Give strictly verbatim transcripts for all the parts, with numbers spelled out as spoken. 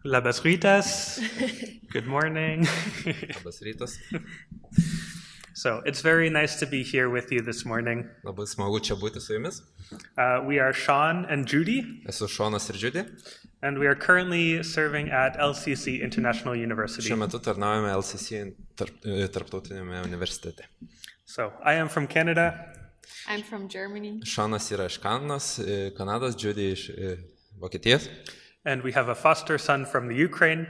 Labas rytas. Good morning. Labas rytas. So it's very nice to be here with you this morning. Labai smagu čia būti su jumis. Uh, we are Sean and Judy, Esu Šonas ir Džiudė. and we are currently serving at L C C International University. Šiuo metu tarnaujame L C C tarp, tarptautinėme universitete. So I am from Canada. I'm from Germany. Šonas yra iš Kanados, Kanados, Džiudė iš Vokietijos. And we have a foster son from the Ukraine.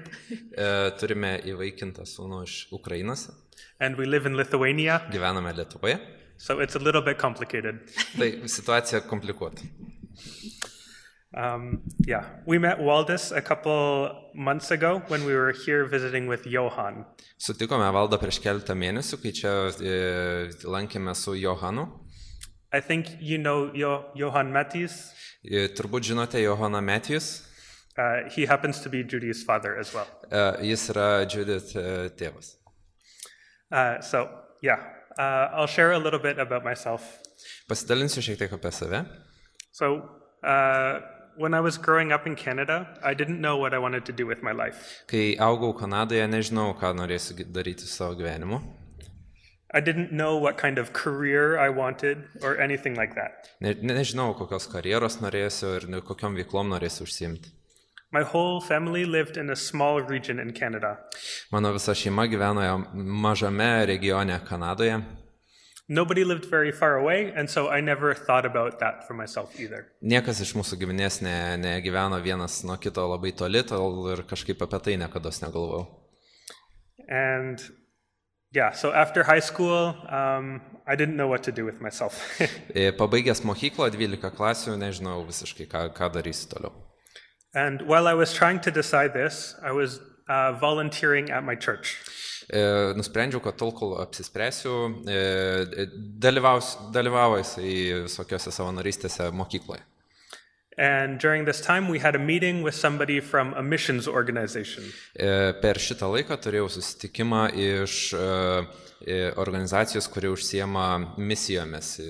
Turime įvaikintą sūnų iš Ukrainos. And we live in Lithuania. Gyvename Lietuvoje. So it's a little bit complicated. Tai situacija komplikuota. Um, yeah, we met Waldis a couple months ago when we were here visiting with Johan. Sutikome Valdą prieš keletą mėnesių, kai čia e, lankėme su Johanu. I think you know jo- Johan Mattis. E, turbūt žinote Johaną Matijus. Uh, he happens to be Judy's father as well. E, jis yra Judith e, tėvas. Uh, so, yeah, uh, I'll share a little bit about myself. Pasidalinsiu šiek tiek apie save. So, uh, when I was growing up in Canada, I didn't know what I wanted to do with my life. Kai augau Kanadoje, nežinau, ką norėsiu gi- daryti su savo gyvenimu. I didn't know what kind of career I wanted or anything like that. Ne, nežinau, kokios karjeros norėsiu ir ne- kokiom veiklom norėsiu užsiimti. My whole family lived in a small region in Canada. Mano visa šeima gyveno mažame regione Kanadoje. Nobody lived very far away, and so I never thought about that for myself either. Niekas iš mūsų giminės ne, negyveno vienas nuo kito labai toli, tol ir kažkaip apie tai niekados negalvojau. And yeah, so after high school, um, I didn't know what to do with myself. E, Pabaigęs mokyklą, dvylika klasių, nežinau visiškai, ką, ką darysiu toliau. And while I was trying to decide this, I was uh, volunteering at my church. E, Nusprendžiau, kad tol, kol apsispręsiu, e, dalyvaus, dalyvavo jisai visokiose savanorystėse mokykloje. And during this time, we had a meeting with somebody from a missions organization. E, Per šitą laiką turėjau susitikimą iš e, e, organizacijos, kuri užsiema misijomis.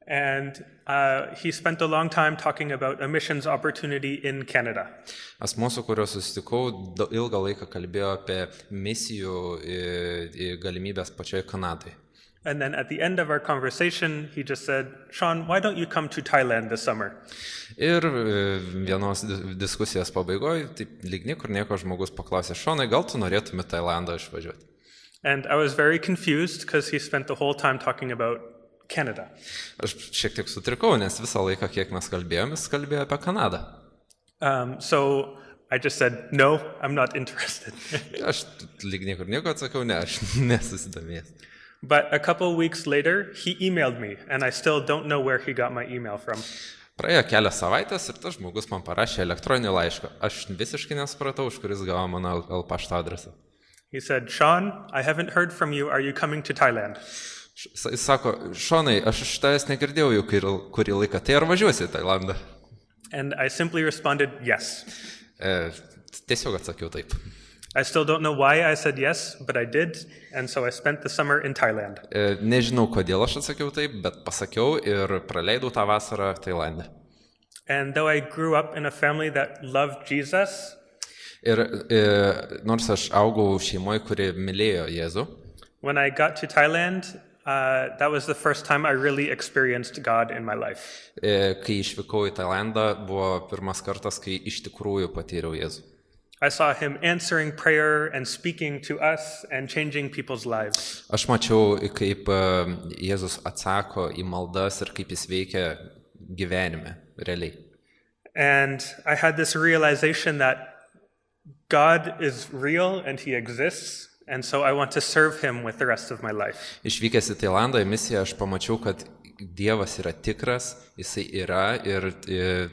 And uh, he spent a long time talking about a missions opportunity in Canada. Asmuo, su kuriuo susitikau, da- ilgą laiką kalbėjo apie misijų e, e, galimybės pačioje Kanadoje. And then at the end of our conversation, he just said, Sean, why don't you come to Thailand this summer? Ir e, vienos di- diskusijos pabaigoje, taip lyg niekur nieko žmogus paklausė, Šonai, gal tu norėtum į Tailandą išvažiuoti? And I was very confused because he spent the whole time talking about Canada. Aš šiek tiek sutrikau, nes visą laiką, kiek mes kalbėjom, jis kalbėjo apie Kanadą. Um, so I just said, no, I'm not interested. Aš lyg niekur nieko atsakiau, ne, aš nesusidomėjęs. But a couple weeks later, he emailed me, and I still don't know where he got my email from. Praėjo kelias savaitės ir tas žmogus man parašė elektroninį laišką. Aš visiškai nesupratau, už kuris gavo mano L pašto adresą. He said, Sean, I haven't heard from you. Are you coming to Thailand? Š- Jis sako, Šonai, aš iš tavęs negirdėjau jau kurį, kurį laiką, tai ar važiuosi į Tailandą? And I simply responded, yes. E, tiesiog atsakiau taip. I still don't know why I said yes, but I did, and so I spent the summer in Thailand. E, nežinau, kodėl aš atsakiau taip, bet pasakiau ir praleidau tą vasarą Tailande. And though I grew up in a family that loved Jesus, Ir e, nors aš augau šeimoje, kuri mylėjo Jėzų, when I got to Thailand, uh, that was the first time I really experienced God in my life. e, kai išvykau į Tailandą, buvo pirmas kartas, kai iš tikrųjų patyriau Jėzų. I saw him answering prayer and speaking to us and changing people's lives. Aš mačiau, kaip e, Jėzus atsako į maldas ir kaip jis veikia gyvenime, realiai. And I had this realization that God is real and he exists, and so I want to serve him with the rest of my life. Išvykęs į Tailandą į misiją, aš pamačiau, kad Dievas yra tikras, jisai yra ir e,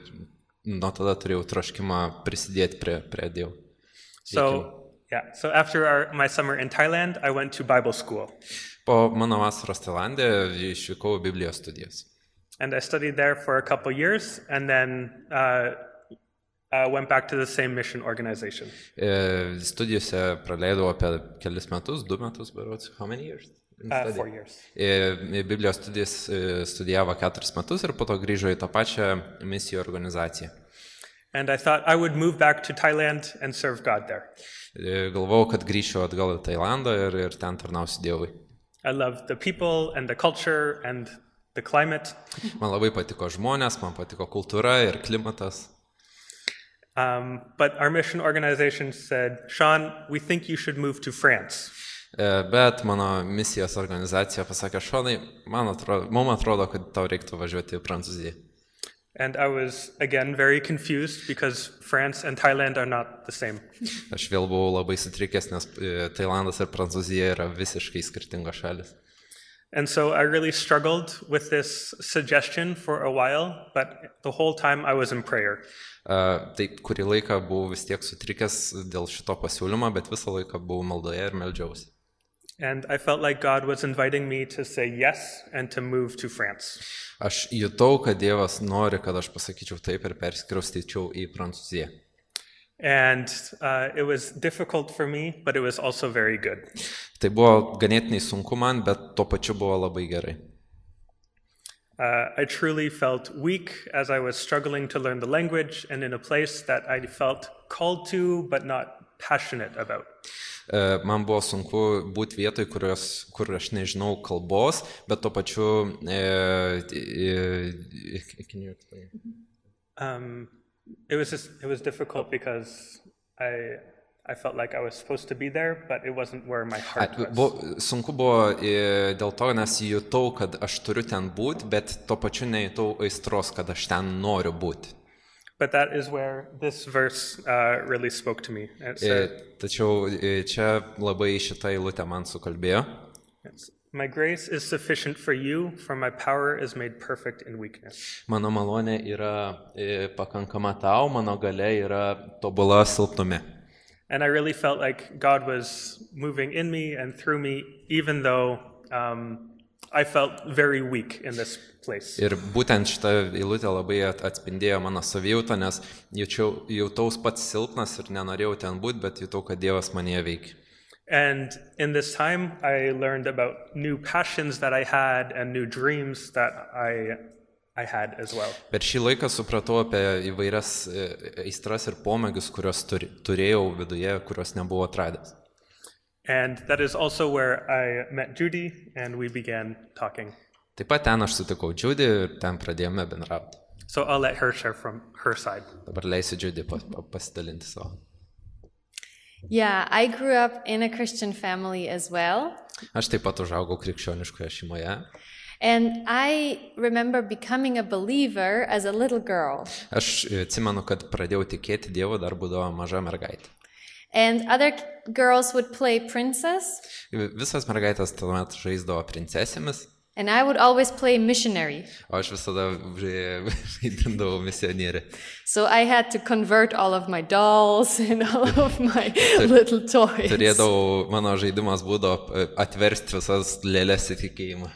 nuo tada turėjau troškimą prisidėti prie, prie Dievo. So, yeah, so after our, my summer in Thailand, I went to Bible school. Po mano vasaros Tailande išvykau į Biblijos studijas. And I studied there for a couple years, and then uh, uh, went back to the same mission organization. E, studijose praleidau apie kelis metus, du metus, berods, how many years? Uh, four years. E, Biblijos studijas e, studijavo keturis metus ir po to grįžo į tą pačią misijų organizaciją. And I thought I would move back to Thailand and serve God there. E, Galvojau, kad grįšiu atgal į Tailandą ir, ir ten tarnausiu Dievui. I loved the people and the culture and the climate. Man labai patiko žmonės, man patiko kultūra ir klimatas. Um, but our mission organization said, Sean, we think you should move to France. E, Bet mano misijos organizacija pasakė, Šonai, man atrodo, mums atrodo, kad tau reiktų važiuoti į Prancūziją. And I was, again, very confused because France and Thailand are not the same. Aš vėl buvau labai sutrikęs, nes e, Tailandas ir Prancūzija yra visiškai skirtingos šalis. And so I really struggled with this suggestion for a while, but the whole time I was in prayer. E, Tai kurį laiką buvau vis tiek sutrikęs dėl šito pasiūlymo, bet visą laiką buvau maldoje ir meldžiausi. And I felt like God was inviting me to say yes and to move to France. Aš jutau, kad Dievas nori, kad aš pasakyčiau taip ir persikraustyčiau į Prancūziją. And uh, it was difficult for me, but it was also very good. Tai buvo ganėtinai sunku man, bet tuo pačiu buvo labai gerai. Uh, I truly felt weak as I was struggling to learn the language and in a place that I felt called to, but not passionate about. E, Man buvo sunku būti vietoj, kurios, kur aš nežinau kalbos, bet tuo pačiu... E, e, can you explain? Um, it was just, it was difficult because I I felt like I was supposed to be there, but it wasn't where my Ai, heart was. buvo, sunku buvo e, dėl to, nes jutau, kad aš turiu ten būti, bet tuo pačiu nejutau aistros, kad aš ten noriu būti. But that is where this verse uh, really spoke to me. It E, said, Tačiau e, čia labai šitą eilutę man sukalbėjo. yes, my grace is sufficient for you, for my power is made perfect in weakness. Mano malonė yra e, pakankama tau, mano galia yra tobula silpnume. And I really felt like God was moving in me and through me, even though um, I felt very weak in this place. Ir būtent šitą eilutę labai at- atspindėjo mano savijautą, nes jaučiau, jautaus pats silpnas ir nenorėjau ten būti, bet jutau, kad Dievas manyje veikia. And in this time, I learned about new passions that I had and new dreams that I, I had as well. Per šį laiką supratau apie įvairias e, aistras ir pomėgius, kuriuos turi, turėjau viduje, kuriuos nebuvau atradęs. And that is also where I met Judy and we began talking. Taip pat ten aš sutikau Džiudį ir ten pradėjome bendrauti. So I'll let her share from her side. Dabar leisiu Džiudį pa, pa, pasidalinti savo. Yeah, I grew up in a Christian family as well. Aš taip pat užaugau krikščioniškoje šeimoje. And I remember becoming a believer as a little girl. Aš e, atsimenu, kad pradėjau tikėti Dievu dar būdama maža mergaitė. And other k- girls would play princess, Visas mergaitės tuomet žaisdavo princesėmis, and I would always play missionary. o aš visada žai- vaidindavau misionierį. So I had to convert all of my dolls and all of my little toys. Turėdavau, mano žaidimas būdavo e, atversti visas lėlės į tikėjimą.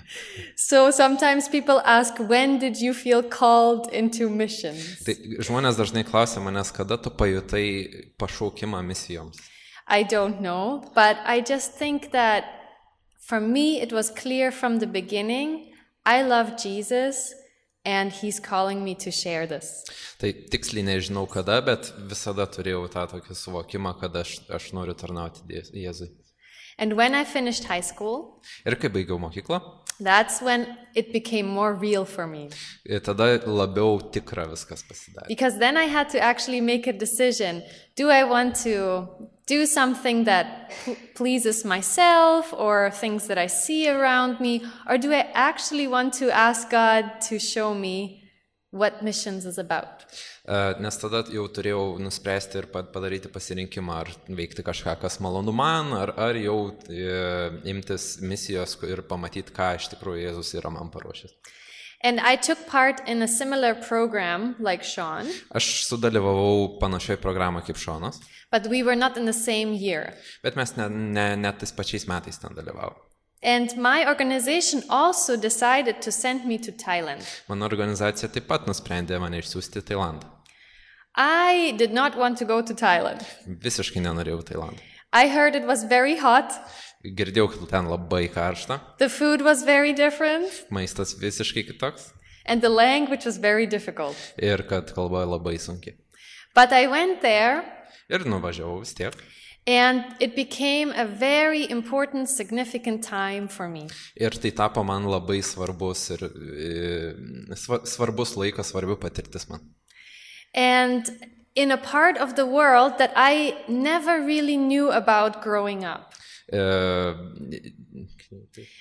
So sometimes people ask, when did you feel called into missions? Tai žmonės dažnai klausia manęs, kada tu pajutai pašaukimą misijoms. I don't know, but I just think that for me it was clear from the beginning, I love Jesus and he's calling me to share this. Tai tiksliai nežinau kada, bet visada turėjau tą tokį suvokimą, kad aš, aš noriu tarnauti Die- Jėzui. And when I finished high school, Ir kai baigiau mokyklą, that's when it became more real for me. e, tada labiau tikra viskas pasidarė. Because then I had to actually make a decision. Do I want to do something that p- pleases myself or things that I see around me? Or do I actually want to ask God to show me what missions is about? E, Nes tada jau turėjau nuspręsti ir pa- padaryti pasirinkimą, ar veikti kažką, kas malonu man, ar, ar jau e, imtis misijos ir pamatyti, ką iš tikrųjų Jėzus yra man paruošęs. And I took part in a similar program like Sean, Aš sudalyvavau panašioj programoje kaip Šonas, but we were not in the same year. bet mes ne, ne, net tais pačiais metais ten dalyvavom. And my organization also decided to send me to Thailand. Mano organizacija taip pat nusprendė mane išsiųsti į Tailandą. I did not want to go to Thailand. Visiškai nenorėjau į Tailandą. I heard it was very hot, Girdėjau, kad ten labai karšta, the food was very different, maistas visiškai kitoks and the language was very difficult. ir kad kalba labai sunki. But I went there, Ir nuvažiavau vis tiek. and it became a very important, significant time for me. Ir tai tapo man labai svarbus ir e, sva, svarbus laikas, svarbi patirtis man. And in a part of the world that I never really knew about growing up. E,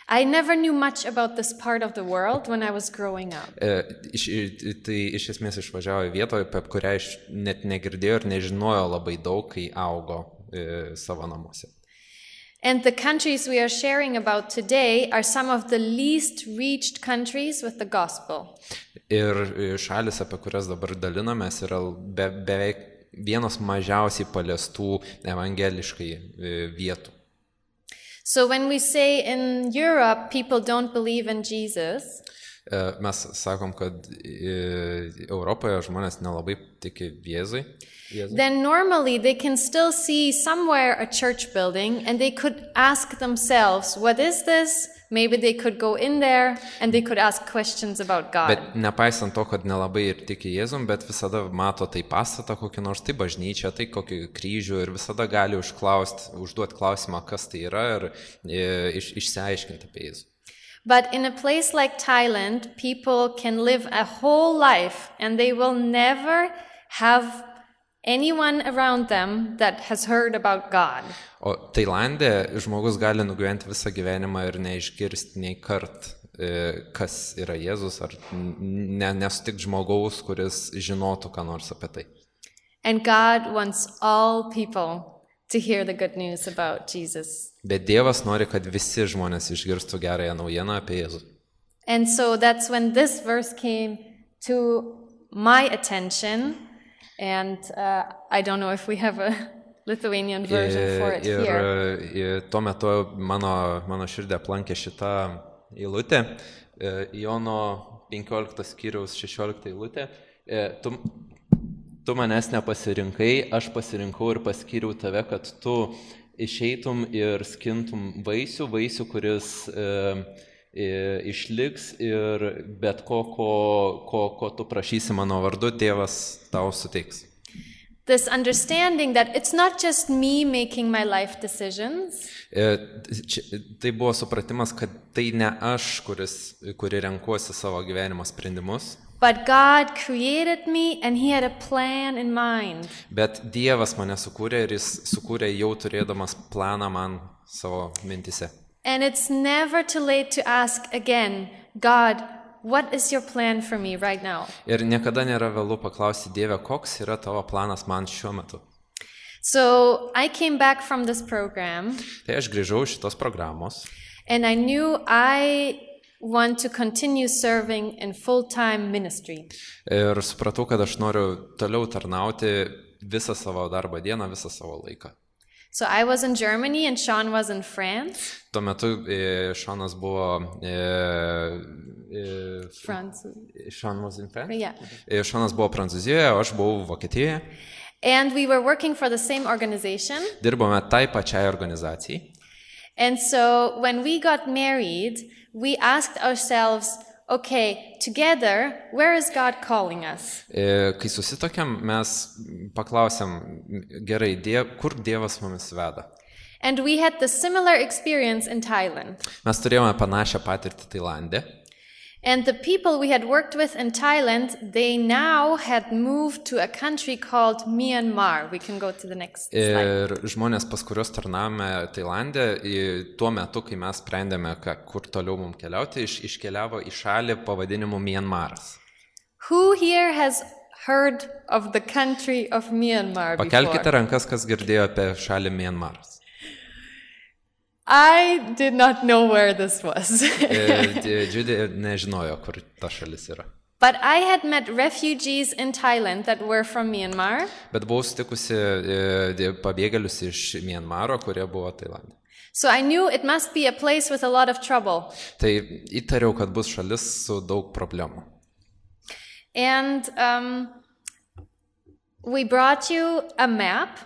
I never knew much about this part of the world when I was growing up. e, iš, tai iš esmės išvažiavo į vietą, apie kurią aš net negirdėjau ir nežinojo labai daug, kai augo e, savo namuose. And the countries we are sharing about today are some of the least reached countries with the gospel. Ir šalis, apie kurias dabar dalinamės, yra be, beveik vienos mažiausiai paliestų evangeliškai vietų. So when we say in Europe people don't believe in Jesus, mes sakom, kad Europoje žmonės nelabai tiki Jėzui. Then normally they can still see somewhere a church building and they could ask themselves, what is this? Maybe they could go in there and they could ask questions about God. Bet nepaisant to, kad nelabai ir tiki Jėzum, bet visada mato tai pastatą kokį nors, tai bažnyčią, tai kokį kryžių ir visada gali užklausti, užduoti klausimą, kas tai yra ir iš, išsiaiškinti apie Jėzų. But in a place like Thailand, people can live a whole life and they will never have anyone around them that has heard about God. O Tailande žmogus gali nugyventi visą gyvenimą ir neišgirsti nei kart, kas yra Jėzus, ar ne, nesutikti žmogaus, kuris žinotų ką nors apie tai. And God wants all people to hear the good news about Jesus. Bet Dievas nori, kad visi žmonės išgirstų gerąją naujieną apie Jėzų. And so that's when this verse came to my attention. And uh, I don't know if we have a Lithuanian version for it ir, here. Ir tuo metu mano, mano širdį aplankė šitą eilutę, Jono penkioliktas skyriaus šešiolikta eilutė. Tu, tu manęs nepasirinkai, aš pasirinkau ir paskyriau tave, kad tu išeitum ir skintum vaisių, vaisių, kuris e, išliks ir bet ko, ko, ko, ko tu prašysi mano vardu, Tėvas tau suteiks. This understanding that it's not just me making my life decisions. Tai buvo supratimas, kad tai ne aš, kuris, kuri renkuosi savo gyvenimo sprendimus. But God created me and he had a plan in mind. Bet Dievas mane sukūrė ir jis sukūrė jau turėdamas planą man savo mintise. And it's never too late to ask again, God, what is your plan for me right now? Ir niekada nėra vėlu paklausti Dievę, koks yra tavo planas man šiuo metu. So I came back from this program. Tai aš grįžau iš šitos programos. And I knew I want to continue serving in full-time ministry. Ir supratau, kad aš noriu toliau tarnauti visą savo darbo dieną, visą savo laiką. So I was in Germany and Sean was in France. Tuo metu e, Seanas buvo e, e, France. Sean was in France? Yeah. E, Seanas buvo Prancūzijoje, o aš buvau Vokietijoje. And we were working for the same organization. Dirbome tai pačiai organizacijai. And so when we got married, we asked ourselves, okay, together, where is God calling us? E, kai susitokėm, mes paklausėm, gerai, diev, kur Dievas mumis veda. And we had the similar experience in Thailand. Mes turėjome panašią patirtį Tailande. And the people we had worked with in Thailand, they now had moved to a country called Myanmar. We can go to the next slide. Ir žmonės, pas kuriuos tarnavome Tailande, tuo metu, kai mes sprendėme, kur toliau mums keliauti, iš, iškeliavo į šalį pavadinimu Myanmaras. Who here has heard of the country of Myanmar before? Pakelkite rankas, kas girdėjo apie šalį Myanmaras. I did not know where this was. Judy nežinojo, kur ta šalis yra. But I had met refugees in Thailand that were from Myanmar. Bet buvau sutikusi pabėgėlius iš Myanmaro, kurie buvo Tailande. So I knew it must be a place with a lot of trouble. Tai įtariau, kad bus šalis su daug problemų. And um, we brought you a map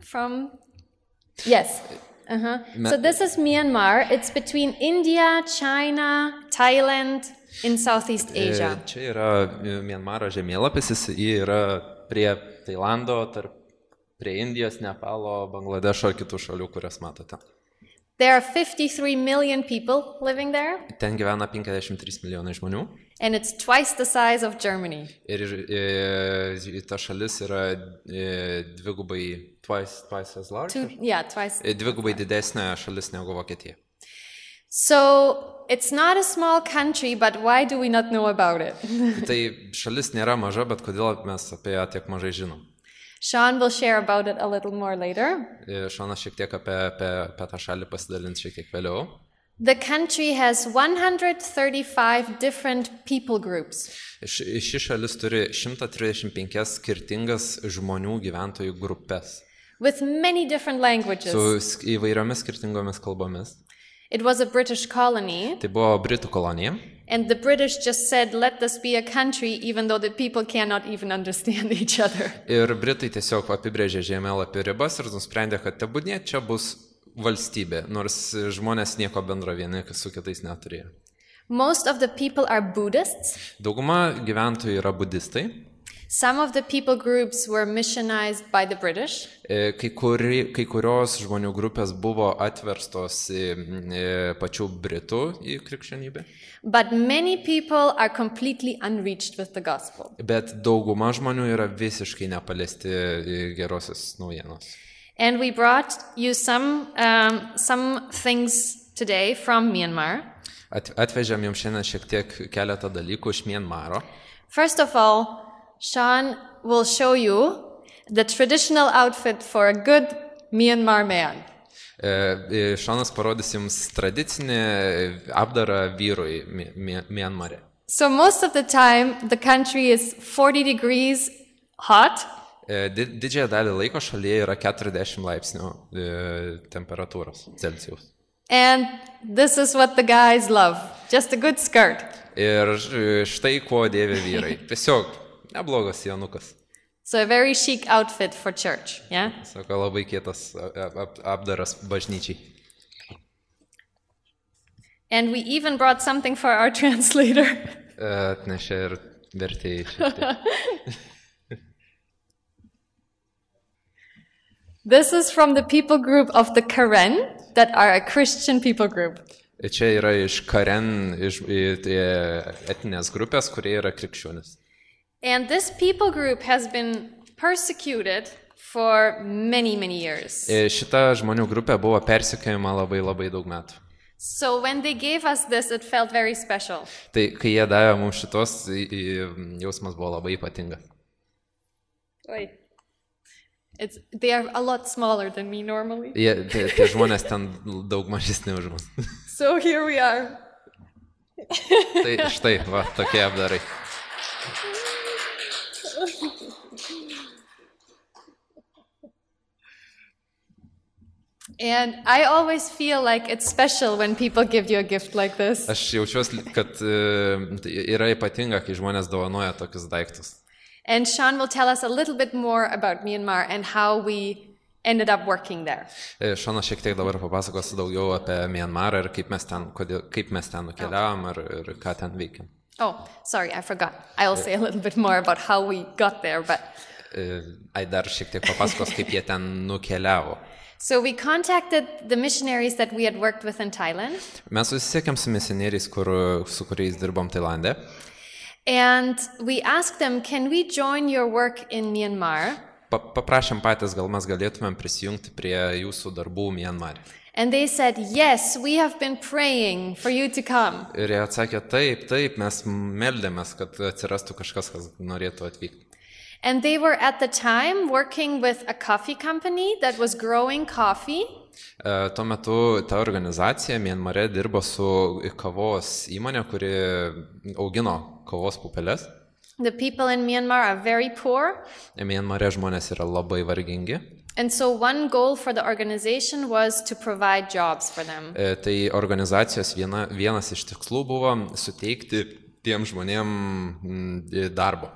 from... Yes. Uh-huh. So this is Myanmar. It's between India, China, Thailand, in Southeast Asia. Čia yra Myanmaro žemėlapis, jis yra prie Tailando, tarp prie Indijos, Nepalo, Bangladešo ir kitų šalių, kurias matote. There are fifty-three million people living there, Ten gyvena penkiasdešimt trys milijonai žmonių and it's twice the size of Germany. ir e, ta šalis yra e, dvigubai, twice, twice as large, Two, yeah, twice. E, dvigubai didesnė šalis negu Vokietija. So it's not a small country, but why do we not know about it? Tai šalis nėra maža, bet kodėl mes apie ją tiek mažai žinom? Sean will share about it a little more later. E, Šonas šiek tiek apie, apie, apie tą šalį pasidalins šiek tiek vėliau. The country has one hundred thirty-five different people groups. Ši, ši šalis turi šimtą trisdešimt penkias skirtingas žmonių gyventojų grupės With many different languages. su sk- įvairiomis skirtingomis kalbomis. It was a British colony, Tai buvo Britų kolonija. and the British just said, let this be a country, even though the people cannot even understand each other. Ir Britai tiesiog apibrėžė žemėlapį ribas ir nusprendė, kad tebūnie čia bus valstybė, nors žmonės nieko bendro vieni su kitais neturėjo. Most of the people are Buddhists. Dauguma gyventojų yra budistai. Some of the people groups were missionized by the British. E, Kai, kuri, kai kurios žmonių grupės buvo atverstos į, į pačių Britų į krikščionybę, But many people are completely unreached with the gospel. bet dauguma žmonių yra visiškai nepaliesti gerosios naujienos. And we brought you some, um, some things today from Myanmar. At, atvežėm jums šiandien šiek tiek keletą dalykų iš Mianmaro. First of all, Sean will show you the traditional outfit for a good Myanmar man. E, Šonas parodys jums tradicinį apdarą vyrui Mi- Mi- Mianmare. So most of the time, the country is forty degrees hot, E, di- Didžiąją dalį laiko šalyje yra keturiasdešimt laipsnių e, temperatūros Celsijaus. and this is what the guys love. Just a good skirt. Ir š- štai ko dėvi vyrai. Tiesiog neblogas janukas. So a very chic outfit for church, yeah? Sako, labai kietas ap- ap- apdaras bažnyčiai. And we even brought something for our translator. E, Atnešė ir vertėjai šiek tiek. This is from the people group of the Karen, that are a Christian people group. Čia yra iš Karen, iš i- tai etinės grupės, kurie yra krikščionis. And this people group has been persecuted for many, many years. E, Šita žmonių grupė buvo persekiojama labai labai daug metų. So when they gave us this, it felt very special. Tai kai jie davė mums šitos, i- i- jausmas buvo labai ypatingas. Oi. It's, they are a lot smaller than me normally. Jie, tie, tie žmonės ten daug mažesni už mus. So here we are. Tai štai, va, tokie apdarai. And I always feel like it's special when people give you a gift like this. Aš jaučiuosi, kad e, tai yra ypatinga, kai žmonės dovanoja tokius daiktus. And Sean will tell us a little bit more about Myanmar and how we ended up working there. E, Šonas šiek tiek dabar papasakos daugiau apie Mianmarą ir kaip mes ten, kodėl, kaip mes ten nukeliavom ir, ir ką ten veikėm. Oh, sorry, I forgot. I'll say a little bit more about how we got there, but E, Ai dar šiek tiek papasakos, kaip jie ten nukeliavo. so we contacted the missionaries that we had worked with in Thailand, Mes susisiekėm su misionieriais, kur, su kuriais dirbom Tailande. and we asked them, can we join your work in Myanmar? Pa, paprašėm patys, gal mes galėtumėm prisijungti prie jūsų darbų Mianmare. And they said, yes, we have been praying for you to come. Ir jie atsakė, taip, taip, mes meldėmės, kad atsirastų kažkas, kas norėtų atvykti. And they were at the time working with a coffee company that was growing coffee. E, Tuo metu ta organizacija Mianmare dirbo su kavos įmonė, kuri augino kavos pupelės. The people in Myanmar are very poor. Mianmare žmonės yra labai vargingi. And so one goal for the organization was to provide jobs for them. E, Tai organizacijos viena, vienas iš tikslų buvo suteikti tiem žmonėm mm, darbo.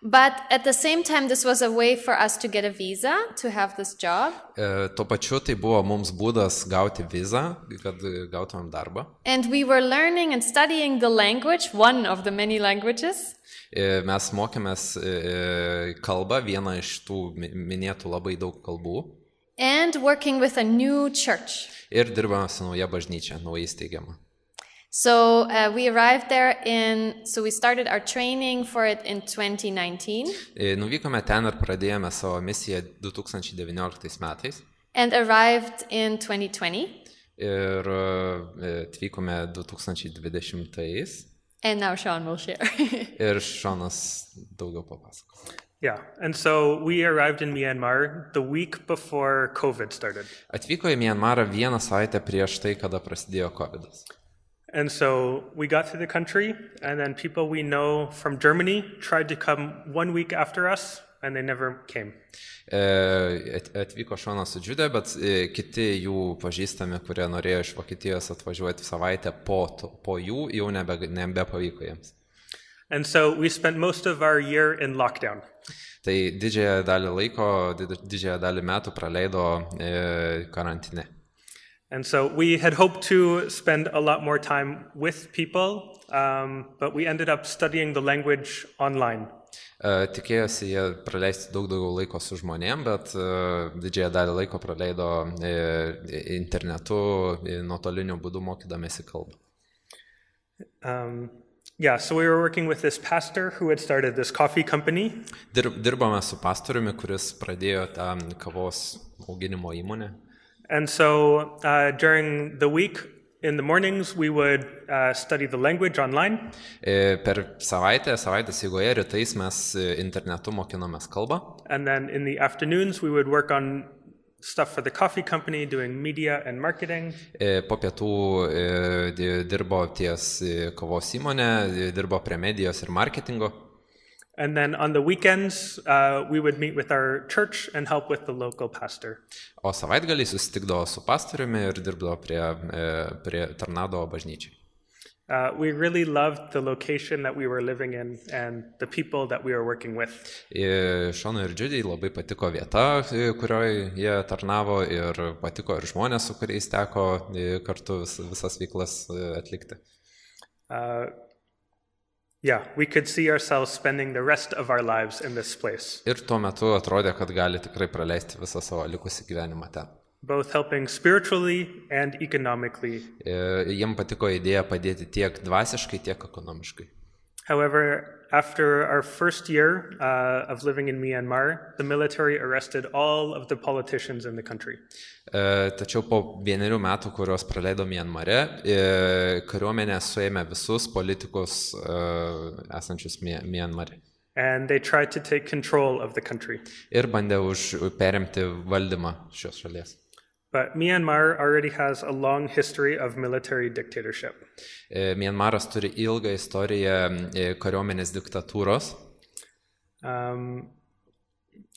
But at the same time, this was a way for us to get a visa to have this job. E, Tuo pačiu tai buvo mums būdas gauti vizą, kad gautumėm darbą. And we were learning and studying the language, one of the many languages. E, Mes mokėmės e, kalbą, vieną iš tų mi- minėtų labai daug kalbų, and working with a new church. ir dirbame su nauja bažnyčia, naujai steigiama. So uh, we arrived there in, so we started our training for it in twenty nineteen E, Nuvykome ten ir pradėjome savo misiją du tūkstančiai devynioliktais metais and arrived in twenty twenty. ir e, atvykome du tūkstančiai dvidešimtais And now Sean will share. ir Šonas daugiau papasako. Yeah, and so we arrived in Myanmar the week before COVID started. Atvyko į Mianmarą vieną savaitę prieš tai, kada prasidėjo kovidas. And so we got to the country, and then people we know from Germany tried to come one week after us, and they never came. E, at- Atvyko Šonas su Džiudė, bet e, kiti jų pažįstami, kurie norėjo iš Vokietijos atvažiuoti savaitę po, to- po jų, jau nebe, nebepavyko jiems. And so we spent most of our year in lockdown. Tai didžiąją dalį laiko, did- didžiąją dalį metų praleido e, karantine. And so we had hoped to spend a lot more time with people, um, but we ended up studying the language online. E, Tikėjosi jie praleisti daug daugiau laiko su žmonėm, bet e, didžiąją dalį laiko praleido e, internetu, e, nuotoliniu būdu mokydamėsi kalbą. Um, yeah, so we were working with this pastor who had started this coffee company. Dirb, dirbame su pastoriumi, kuris pradėjo tą kavos auginimo įmonę. And so uh, during the week, in the mornings, we would uh, study the language online. E, Per savaitę, savaitės eigoje rytais mes e, internetu mokinomės kalbą, And then in the afternoons, we would work on stuff for the coffee company, doing media and marketing. e, po pietų e, di- dirbo ties e, kavos įmonė, e, dirbo prie medijos ir marketingo. And then on the weekends, uh, we would meet with our church and help with the local pastor. O savaitgalį susitikdavo su pastoriumi ir dirbdavo prie, e, prie tarnaudavo bažnyčiai. Uh, we really loved the location that we were living in and the people that we were working with. E, Šonui ir Džiudei labai patiko vieta, e, kurioje jie tarnavo, ir patiko ir žmonės, su kuriais teko e, kartu vis, visas veiklas e, atlikti. Uh, yeah, we could see ourselves spending the rest of our lives in this place, Ir tuo metu atrodė, kad gali tikrai praleisti visą savo likusį gyvenimą ten. both helping spiritually and economically. E, Jiem patiko idėja padėti tiek dvasiškai, tiek ekonomiškai. However, after our first year uh, of living in Myanmar, the military arrested all of the politicians in the country. E, Tačiau po vienerių metų, kuriuos praleido Mianmare, e, kariuomenė suėmė visus politikus e, esančius Mi- Mianmare And they tried to take control of the country. ir bandė už perimti valdymą šios šalies. But Myanmar already has a long history of military dictatorship. E, Mianmaras turi ilgą istoriją e, kariuomenės diktatūros. Um,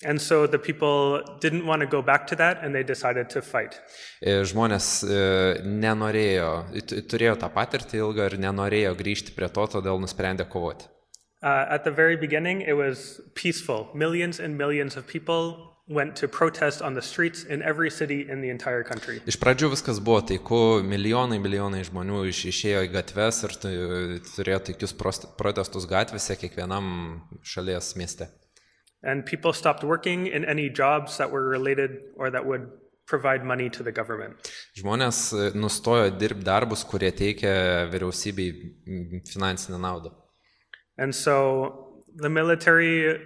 and so the people didn't want to go back to that, and they decided to fight. E, Žmonės e, nenorėjo, t- turėjo tą patirtį ilgą ir nenorėjo grįžti prie to, todėl nusprendė kovoti. Uh, at the very beginning, it was peaceful. Millions and millions of people went to protest on the streets in every city in the entire country. Iš pradžių viskas buvo taiku, milijonai, milijonai žmonių iš, išėjo į gatves ir tu- turėjo taikius prost- protestus gatvėse kiekvienam šalies mieste. And people stopped working in any jobs that were related or that would provide money to the government. Žmonės e, nustojo dirbti darbus, kurie teikia vyriausybei mm, finansinę naudą. And so the military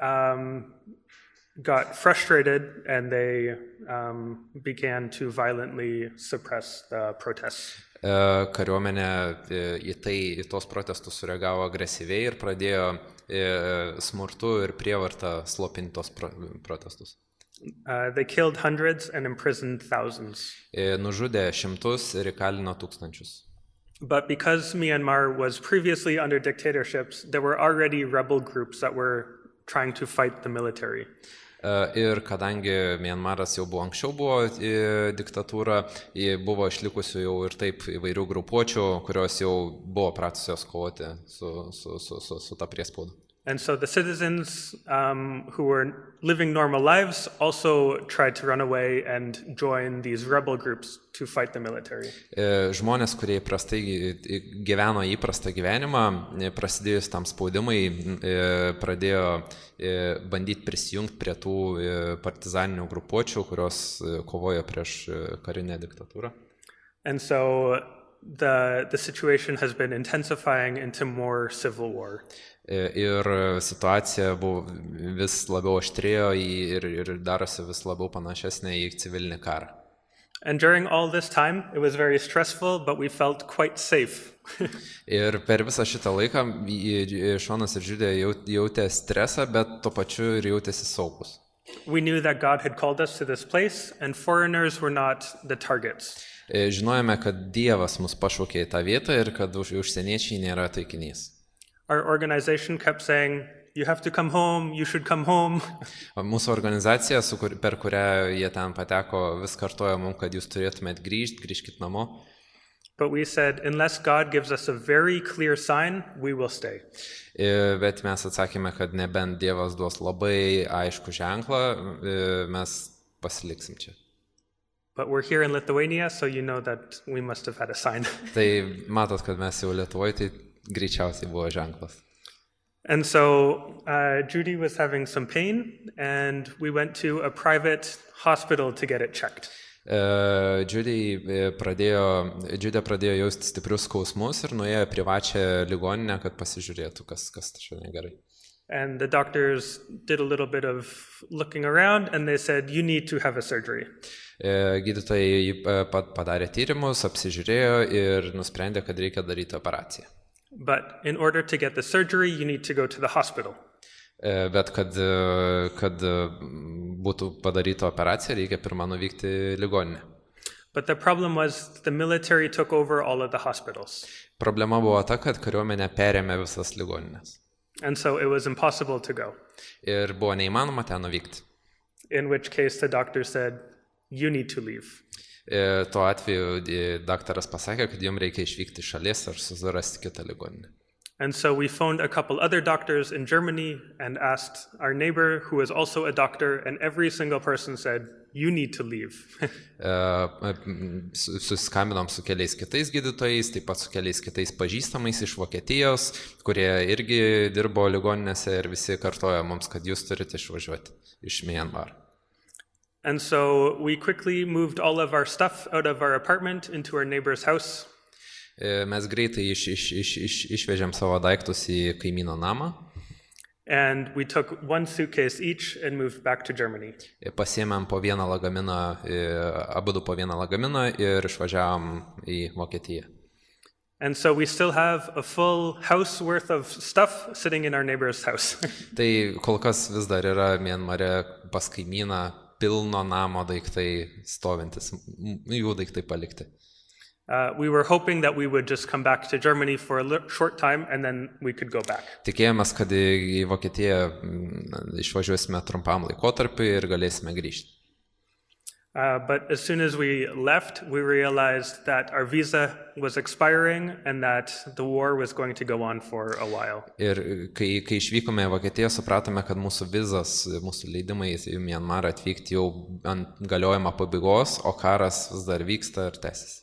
um, got frustrated and they um, began to violently suppress the protests. E, Kariuomenė e, į tai, į tos protestus sureagavo agresyviai ir pradėjo e, smurtu ir prievartą slopinti tos pro, protestus. Uh, they killed hundreds and imprisoned thousands. E, Nužudė šimtus ir įkalino tūkstančius. But because Myanmar was previously under dictatorships, there were already rebel groups that were trying to fight the military. E, Ir kadangi Mianmaras jau buvo anksčiau buvo e, diktatūra, e, buvo išlikusių jau ir taip įvairių grupuočių, kurios jau buvo pratusios kovoti su, su, su, su, su ta priespauda. And so the citizens um, who were living normal lives also tried to run away and join these rebel groups to fight the military. E, Žmonės, kurie įprastai gy- gyveno įprastą gyvenimą, e, prasidėjus tam spaudimai, e, pradėjo e, bandyti prisijungti prie tų e, partizaninių grupuočių, kurios e, kovojo prieš e, karinę diktatūrą. And so the, the situation has been intensifying into more civil war. E, Ir situacija buvo vis labiau aštrėjo į- ir, ir darosi vis labiau panašesnė į civilinį karą. And during all this time, it was very stressful, but we felt quite safe. Ir per visą šitą laiką į- į- Šonas ir Žiudė jau- jautė stresą, bet tuo pačiu ir jautėsi saugus. We knew that God had called us to this place, and foreigners were not the targets. E, Žinojome, kad Dievas mus pašaukė į tą vietą ir kad už- užsieniečiai nėra taikinys. Our organization kept saying, you have to come home, you should come home. O Mūsų organizacija, su kur, per kurią jie ten pateko, vis kartojo mums, kad jūs turėtumėt grįžti, grįžkit namo. But we said, unless God gives us a very clear sign, we will stay. E, Bet mes atsakėme, kad nebent Dievas duos labai aišku ženklą, e, mes pasiliksim čia. But we're here in Lithuania, so you know that we must have had a sign. Tai matot, kad mes jau Lietuvoje, tai greičiausiai buvo ženklas. And so uh, Judy was having some pain, and we went to a private hospital to get it checked. E, Džiudė e, pradėjo, Džiudė pradėjo jausti stiprius skausmus ir nuėjo į privačią ligoninę, kad pasižiūrėtų, kas, kas čia negerai. And the doctors did a little bit of looking around, and they said, you need to have a surgery. E, Gydytojai e, pa- padarė tyrimus, apsižiūrėjo ir nusprendė, kad reikia daryti operaciją. But in order to get the surgery, you need to go to the hospital. E, Bet kad, e, kad e, būtų padaryta operacija, reikia pirmą nuvykti į ligoninę. But the problem was the military took over all of the hospitals. Problema buvo ta, kad kariuomenė perėmė visas ligoninės. And so it was impossible to go, Ir buvo neįmanoma ten nuvykti. in which case the doctor said, you need to leave. E, Tuo atveju e, daktaras pasakė, kad jums reikia išvykti iš šalies ar susirasti kitą ligoninę. And so we phoned a couple other doctors in Germany and asked our neighbor, who is also a doctor, and every single person said, you need to leave. E, m, su- Susiskambinom su keliais kitais gydytojais, taip pat su keliais kitais pažįstamais iš Vokietijos, kurie irgi dirbo ligoninėse ir visi kartojo mums, kad jūs turite išvažiuoti iš Myanmar. And so we quickly moved all of our stuff out of our apartment into our neighbor's house. E, Mes greitai iš, iš, iš, iš, išvežėm savo daiktus į kaimyno namą, And we took one suitcase each and moved back to Germany. e, pasiėmėm po vieną lagaminą, e, abudu po vieną lagaminą ir išvažiavom į Vokietiją. And so we still have a full house worth of stuff sitting in our neighbor's house. Tai kol kas vis dar yra Mianmare pas kaimyną pilno namo daiktai stovintis, m- jų daiktai palikti. Uh, we were hoping that we would just come back to Germany for a li- short time and then we could go back. Tikėjomės, kad į į Vokietiją mm, išvažiuosime trumpam laikotarpiui ir galėsime grįžti. Uh, but as soon as we left, we realized that our visa was expiring and that the war was going to go on for a while. Ir kai, kai išvykome į Vokietiją, supratome, kad mūsų vizas, mūsų leidimai į Mianmarą atvykti jau ant galiojimo pabaigos, o karas vis dar vyksta ir tęsiasi.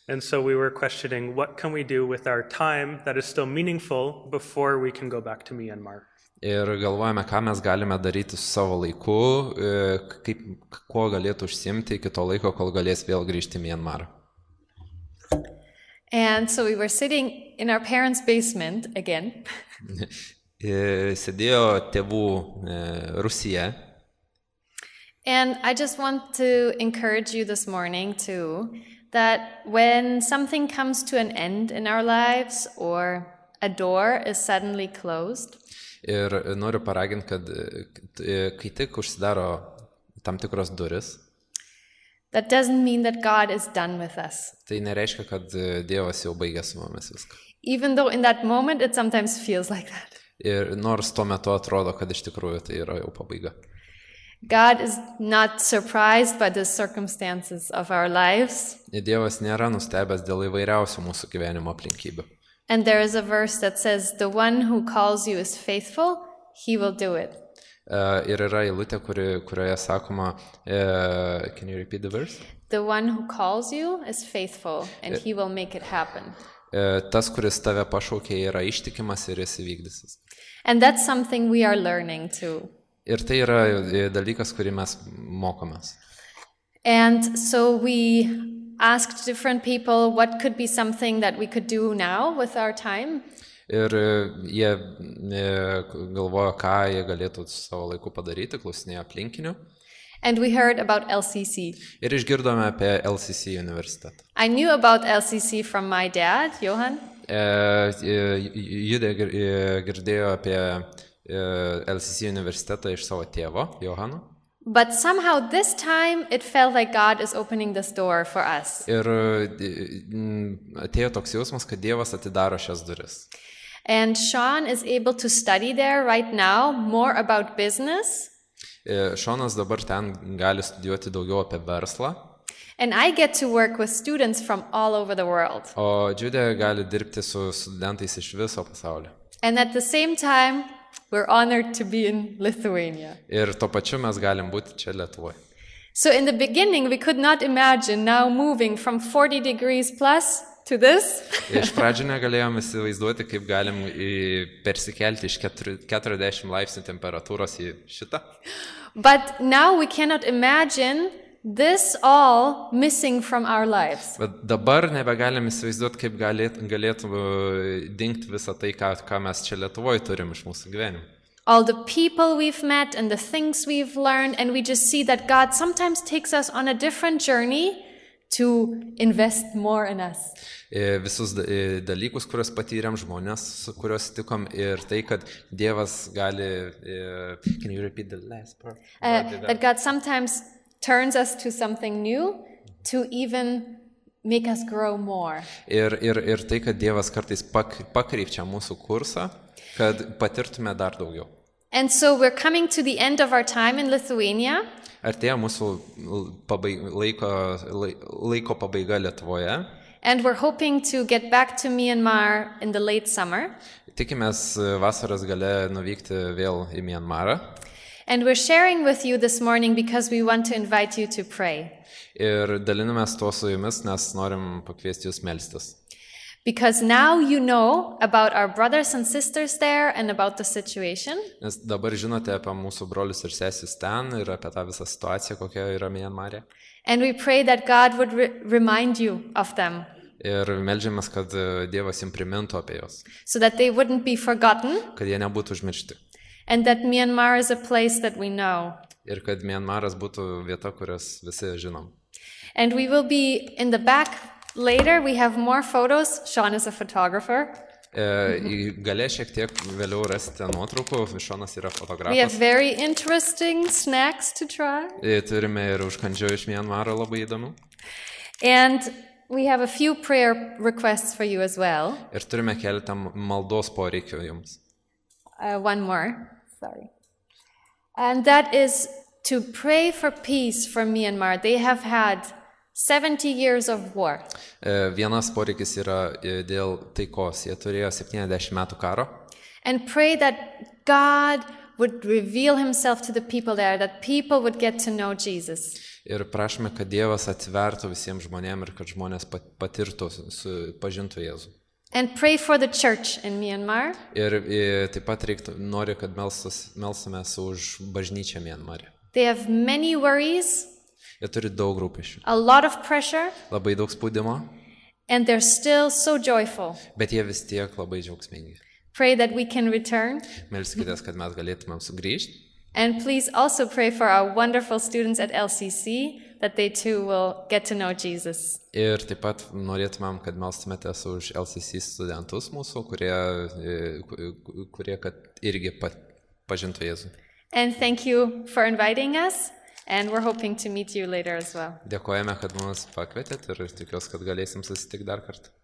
And so we were questioning, what can we do with our time that is still meaningful before we can go back to Myanmar? Ir galvojame, ką mes galime daryti su savo laiku, e, kaip, kuo galėtų užsiimti iki to laiko, kol galės vėl grįžti į Mianmarą. And so we were sitting in our parents' basement again. E, Sėdėjo tėvų e, Rusija. And I just want to encourage you this morning too that when something comes to an end in our lives or a door is suddenly closed, Ir noriu paraginti, kad e, kai tik užsidaro tam tikros duris, that doesn't mean that God is done with us. tai nereiškia, kad e, Dievas jau baigė su mumis viską. Even though in that moment it sometimes feels like that. Ir nors tuo metu atrodo, kad iš tikrųjų tai yra jau pabaiga. God is not surprised by the circumstances of our lives. Dievas nėra nustebęs dėl įvairiausių mūsų gyvenimo aplinkybių. And there is a verse that says, the one who calls you is faithful, he will do it. Uh, ir yra eilutė, kuri, kurioje sakoma, uh, can you repeat the verse? The one who calls you is faithful, and he will make it happen. Uh, tas, kuris tave pašaukė, yra ištikimas ir jis įvykdysis. And that's something we are learning too. Ir tai yra dalykas, kurį mes mokomės. And so we asked different people what could be something that we could do now with our time. Ir jie galvojo, ką jie galėtų su savo laiku padaryti, klausinėjo aplinkinių. And we heard about L C C. Ir išgirdome apie L C C universitetą. I knew about L C C from my dad, Johan. Judė girdėjo apie L C C universitetą iš savo tėvo, Johano. But somehow this time it felt like God is opening this door for us. Ir atėjo toks jausmas, kad Dievas atidaro šias duris. And Sean is able to study there right now more about business. Šonas dabar ten gali studijuoti daugiau apie verslą. And I get to work with students from all over the world. O Džiudė gali dirbti su studentais iš viso pasaulio. And at the same time, we're honored to be in Lithuania. Ir tuo pačiu mes galim būti čia Lietuvoje. So in the beginning, we could not imagine now moving from forty degrees plus to this. Iš pradžių negalėjom įsivaizduoti, kaip galim persikelti iš keturiasdešimt laipsnių temperatūros į šitą. But now we cannot imagine this all missing from our lives. Bet dabar nebegalim įsivaizduoti, kaip galėtų, galėtų dingti visą tai, ką, ką mes čia Lietuvoje turim iš mūsų gyvenimo. All the people we've met and the things we've learned, and we just see that God sometimes takes us on a different journey to invest more in us. Visus dalykus, kuriuos patyrėm, žmonės, kuriuos tikom, ir tai, kad Dievas gali... Can you repeat the last part? Uh, that God sometimes turns us to something new to even make us grow more. Ir, ir, ir tai, kad Dievas kartais pakrypčia mūsų kursą, kad patirtume dar daugiau. And so we're coming to the end of our time in Lithuania. Artėja mūsų pabaig, laiko, laiko pabaiga Lietuvoje. And we're hoping to get back to Myanmar in the late summer. Tikimės vasaros gale nuvykti vėl į Myanmarą. And we're sharing with you this morning because we want to invite you to pray. Ir dalinamės tuo su jumis, nes norim pakviesti jūs melstis. Because now you know about our brothers and sisters there and about the situation. Nes dabar žinote apie mūsų brolius ir sesis ten ir apie tą visą situaciją, kokia yra Myanmarė. And we pray that God would re- remind you of them. Ir meldžiamės, kad Dievas jums primintų apie juos. So that they wouldn't be forgotten. Kad jie nebūtų užmiršti. And that Myanmar is a place that we know. Ir kad Myanmaras būtų vieta, kurias visi žinom. And we will be in the back later. We have more photos. Sean is a photographer. E, Galė šiek tiek vėliau rasite nuotraukų. Šonas yra fotografas. We have very interesting snacks to try. E, turime ir užkandžių iš Myanmaro labai įdomių. And we have a few prayer requests for you as well. Ir turime keletą maldos poreikių jums. Uh, one more. Sorry. And that is to pray for peace for Myanmar. They have had seventy years of war. E, vienas poreikis yra dėl taikos. Jie turėjo septyniasdešimt metų karo. And pray that God would reveal himself to the people there, that people would get to know Jesus. Ir prašome, kad Dievas atvertų visiems žmonėms ir kad žmonės patirtų, pažintų Jėzų. And pray for the church in Myanmar. Ir, ir taip pat reiktų, nori, kad melsamės už bažnyčią Myanmarė. They have many worries. Jie turi daug rūpesčių. A lot of pressure. Labai daug spaudimo. And they're still so joyful. Bet jie vis tiek labai džiaugsmingi. Pray that we can return. Melskitės, kad mes galėtumėm sugrįžti. And please also pray for our wonderful students at L C C, that they too will get to know Jesus. Ir taip pat norėtumėm, kad melstumėtės už L C C studentus mūsų, kurie, kurie kad irgi pažintų Jėzų. And thank you for inviting us, and we're hoping to meet you later as well. Dėkojame, kad mus pakvietėt ir tikiuosi, kad galėsim susitikti dar kartą.